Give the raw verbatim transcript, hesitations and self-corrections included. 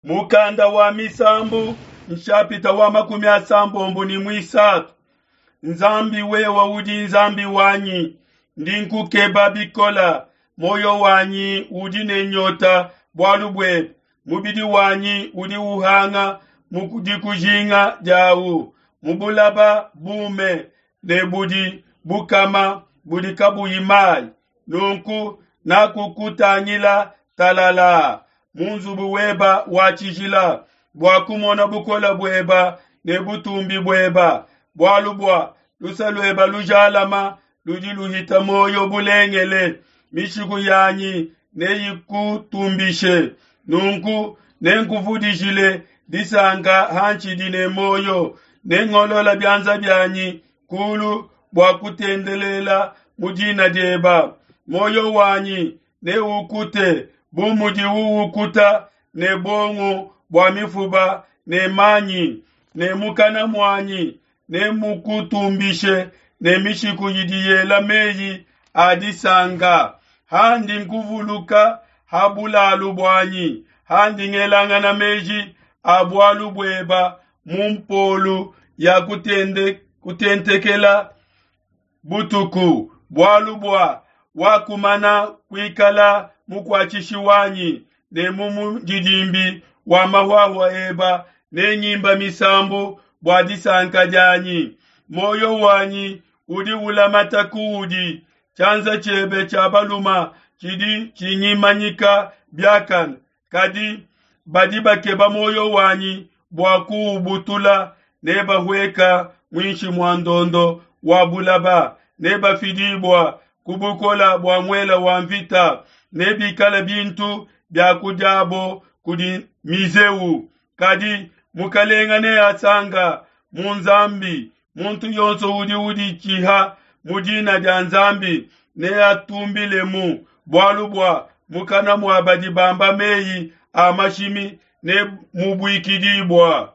Mukanda wa misambu nshapita wa makumi asambombo ne muisatu. Nzambi wewa udi Nzambi wanyi, ndi nkukeba bikola, moyo wanyi udi ne nyota bualu buebe, mubidi wanyi udi uhanga mu dikujinga diawu, mu bulaba bume ne budi bukama budi kabuyi mayi. Nunku nakukutangila talala mu nzubu weba wa tshijila bua kumona bukole bueba ne butumbi bueba, bualu bua luse lueba lujalama ludi luhita moyo bulengele. Mishiku yanyi neyikutumbishe, nunku nenkuvudijile disanka hantshidi ne moyo, nengolola bianza bianyi kulu bua kutendelela mu dina dieba. Moyo wanyi neukute bu mudiwu ukuta ne buongo bua mifuba ne manyi, ne mukana muanyi nemukutumbishe ne mishiku idi yela meyi a disanka. Handi nkuvuluka ha bulalu buanyi, handi ngelangana meji a bualu bueba mu mpolu ya kutende, kutentekela butuku, bualu bua wakumana kuikala mukuatshishi wanyi ne mu mundidimbi wa mahuahua eba nengimba misambu bua disanka dianyi. Moyo wanyi udi ulamata kuudi, tshianza tshiebe tshia baluma tshidi tshingimanyika biakane. Kadi badi bakeba moyo wanyi bua kuubutula, nebahueka muinshi mua ndondo wa bulaba, nebafidibua ku bukola bua muela wa mvita, nebikale bintu bia kudiabo kudi mizeu. Kadi mukalenga neasanga mu Nzambi, muntu yonso udi uditshiha mu dina dia Nzambi neatumbilemu, bualu bua mukana mua badi bamba meyi a mashimi ne mubuikidibua.